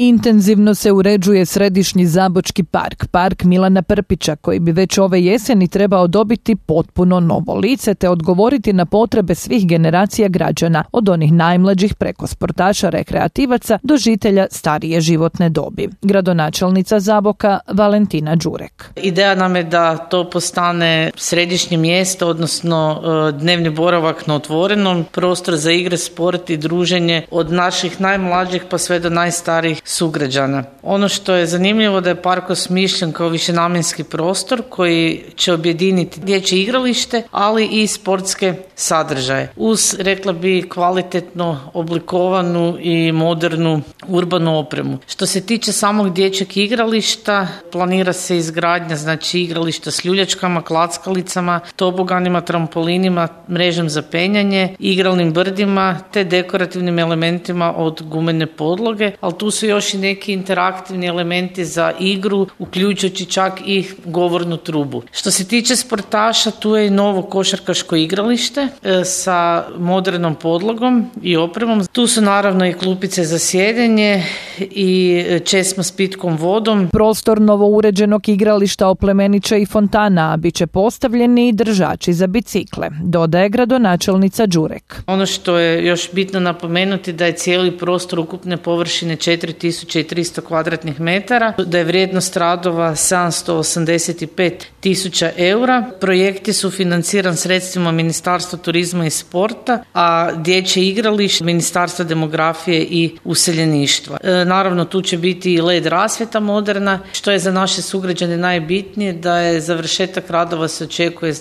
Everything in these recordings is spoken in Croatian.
Intenzivno se uređuje središnji Zabočki park, park Milana Prpića, koji bi već ove jeseni trebao dobiti potpuno novo lice te odgovoriti na potrebe svih generacija građana, od onih najmlađih preko sportaša, rekreativaca do žitelja starije životne dobi. Gradonačelnica Zaboka Valentina Đurek. Ideja nam je da to postane središnje mjesto, odnosno dnevni boravak na otvorenom, prostor za igre, sport i druženje od naših najmlađih pa sve do najstarijih sugrađana. Ono što je zanimljivo da je park osmišljen kao višenamjenski prostor koji će objediniti dječje igralište, ali i sportske sadržaje. Uz, rekla bi, kvalitetno oblikovanu i modernu urbanu opremu. Što se tiče samog dječjeg igrališta, planira se izgradnja igrališta s ljuljačkama, klackalicama, toboganima, trampolinima, mrežom za penjanje, igralnim brdima te dekorativnim elementima od gumene podloge, ali tu su još i neki interaktivni elementi za igru, uključujući čak i govornu trubu. Što se tiče sportaša, tu je i novo košarkaško igralište sa modernom podlogom i opremom. Tu su naravno i klupice za sjedenje i česma s pitkom vodom. Prostor novouređenog igrališta oplemenit će i fontana, a bit će postavljeni i držači za bicikle, dodaje gradonačelnica Đurek. Ono što je još bitno napomenuti da je cijeli prostor ukupne površine 4300 kvadratnih metara, da je vrijednost radova 785.000 eura. Projekti su financiran sredstvima Ministarstva turizma i sporta, a dječje igralište Ministarstva demografije i useljeništva. Naravno, tu će biti i LED rasvjeta moderna, što je za naše sugrađane najbitnije, da je završetak radova se očekuje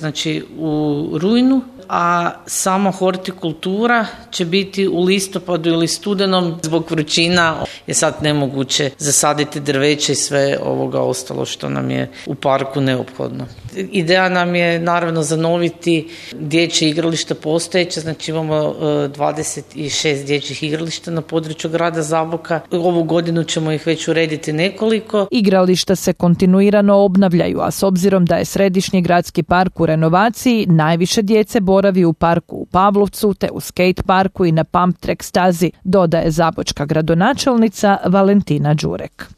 u rujnu, a sama hortikultura će biti u listopadu ili studenom. Zbog vrućina je sad nemoguće zasaditi drveće i sve ovoga ostalo što nam je u parku neophodno. Ideja nam je naravno zanoviti dječje igralište postojeće, imamo 26 dječjih igrališta na području grada Zaboka. Ovu godinu ćemo ih već urediti nekoliko. Igrališta se kontinuirano obnavljaju, a s obzirom da je središnji gradski park u renovaciji, najviše djece boravi u parku u Pavlovcu te u skate parku i na pump track stazi, dodaje zabočka gradonačelnica Valentina Đurek.